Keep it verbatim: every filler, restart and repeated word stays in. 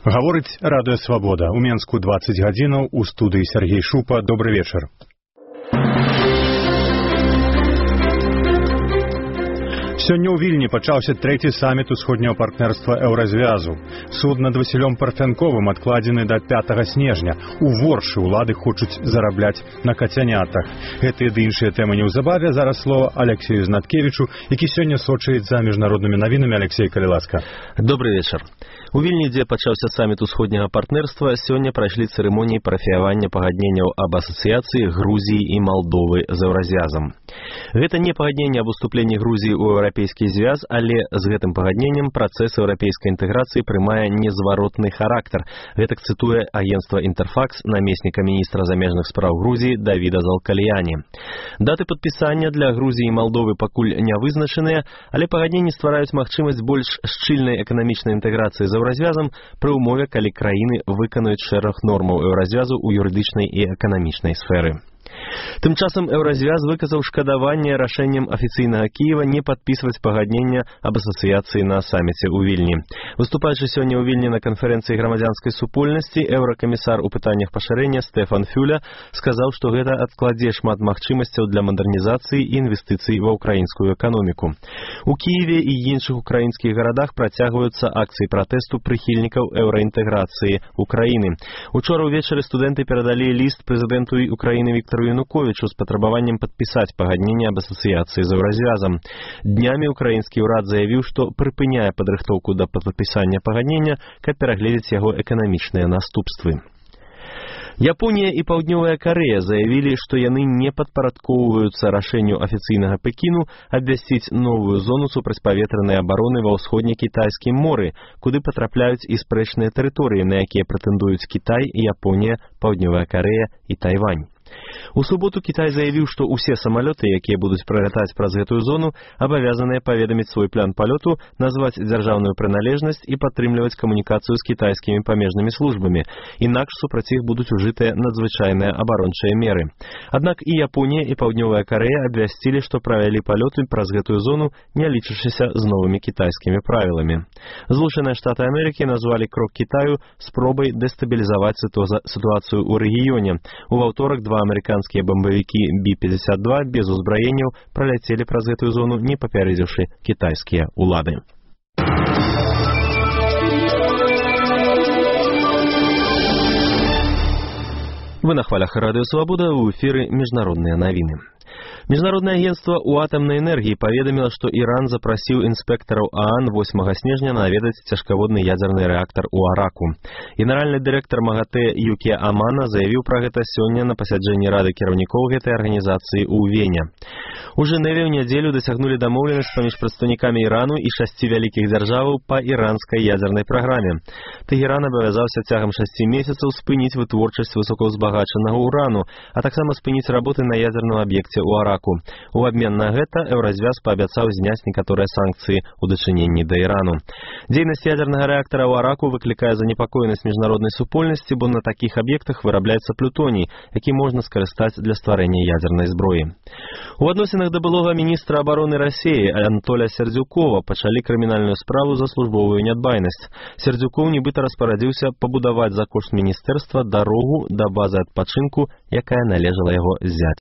Гаворыць радыё Свабода. У Менску дваццаць гадзінаў, у студыі Сергей Шупа. Добры вечар. Сёння ў Вільні пачаўся трэці саміт усходняго партнерства Еўразвязу. Суд над Васілём Парфянковым адкладзены да пятага снежня. У Воршы ўлады хочуць зарабляць на кацянятах. Гэтыя ды іншыя тэмы неўзабаве. Зараз слова Алексею Знаткевічу, які сёння сочыць за міжнароднымі навінамі. Алексей, калі ласка. Добрый вечар. У Вільні, дзе пачаўся саміт усходняга партнерства, сёння прайшлі цырымоніі парафіявання пагадненняў аб асацыяцыі Грузіі і Малдовы з Еўразвязам. Гэта не пагадненне аб уступленні Грузіі ў еўрапейскі звяз, але з гэтым пагадненнем працэс еўрапейскай інтэграцыі прымае незваротны характар. Гэтак цытуе агенцтва «Інтэрфакс» намесніка міністра замежных спраў Грузіі Давіда Залкальяні. Даты падпісання для Грузіі і Малдовы пакуль не вызначаныя, але пагадненні ствараюць магчымасць больш шчыльнай эканамічнай інтэграцыі з еўразвязам пры ўмове, калі краіны выканаюць шэраг нормаў еўразвязу ў юрыдычнай і эканамічнай сферы. Тым часам Еўразвяз выказаў шкадаванне рашэннем афіцыйнага Кіева не падпісваць пагаднення аб асацыяцыі на саміце ў Вільні. Выступаючы сёння ў Вільні на канферэнцыі грамадзянскай супольнасці, еўракамісар у пытаннях пашырэння Стэфан Фюля сказаў, што гэта адкладзе шмат магчымасцяў для мадэрнізацыі і інвестыцый ва ўкраінскую эканоміку. У Кіеве і іншых украінскіх гарадах працягваюцца акцыі пратэсту прыхільнікаў еўраінтэграцыі Украіны. Учора ўвечары студэнты перадалі ліст прэзідэнту Украіны Віктару Януковічу з патрабаваннем падпісаць пагадненне аб асацыяцыі з еўразвязам. Днямі украінскі ўрад заявіў, што прыпыняе падрыхтоўку да падпісання пагаднення, каб перагледзець яго эканамічныя наступствы. Японія і Паўднёвая Карэя заявілі, што яны не падпарадкоўваюцца рашэнню афіцыйнага Пекіну абвясціць новую зону супрацьпаветранай абароны ва ўсходне-кітайскім моры, куды патрапляюць і спрэчныя тэрыторыі, на якія прэтэндуюць Кітай, Японія, Паўднёвая Карэя і Тайвань. У суботу Кітай заявіў, што ўсе самалёты, якія будуць пралятаць праз гэтую зону, абавязаныя паведаміць свой план палёту, назваць дзяржаўную прыналежнасць і падтрымліваць камунікацыю з кітайскімі памежнымі службамі. Інакш супраць іх будуць ужытыя надзвычайныя абарончыя меры. Аднак і Японія, і Паўднёвая Карэя абвясцілі, што правялі палёты праз гэтую зону, не лічачыся з новымі кітайскімі правіламі. Злучаныя Штаты Амерыкі назвалі крок Кітаю спробай дэстабілізаваць сітуацыю ў рэгіёне. У аўторак два амерыканскія бамбавікі Бі пятьдесят два без узбраенняў праляцелі праз гэтую зону, не папярэдзіўшы кітайскія ўлады. Вы на хвалях радыё Свабода, ў эфіры міжнародныя навіны. Міжнароднае агенцтва ў атамнай энергіі паведаміла, што Іран запрасіў інспектараў ААН восьмага снежня наведаць цяжкаводны ядзерны рэактар у Араку. Генеральны дырэктар МАГАТЭ Юкі Амана заявіў пра гэта сёння на пасяджэнні рады кіраўнікоў гэтай арганізацыі ў Вене. У Жэневе ў нядзелю дасягнулі дамоўленасць паміж прадстаўнікамі Ірану і шасці вялікіх дзяржаваў па іранскай ядзернай праграме. Тэгеран абавязаўся цягам шасці месяцаў спыніць вытворчасць высокаўзбагачанага ўрану, а таксама спыніць работы на ядзерным аб'екце ў Араку. У абмен на гэта Еўразвяз паабяцаў зняць некаторыя санкцыі ў дачыненні да Ірану. Дзейнасць ядзернага рэактара ў Араку выклікае занепакоенасць міжнароднай супольнасці, бо на такіх аб'ектах вырабляецца плютоній, які можна скарыстаць для стварэння ядзернай зброі. У адносінах да былога міністра абароны Расіі Анатоля Сердзюкова пачалі крымінальную справу за службовую нядбайнасць. Сердзюков нібыта распарадзіўся пабудаваць за кошт міністэрства дарогу да базы адпачынку, якая належала яго зяцю.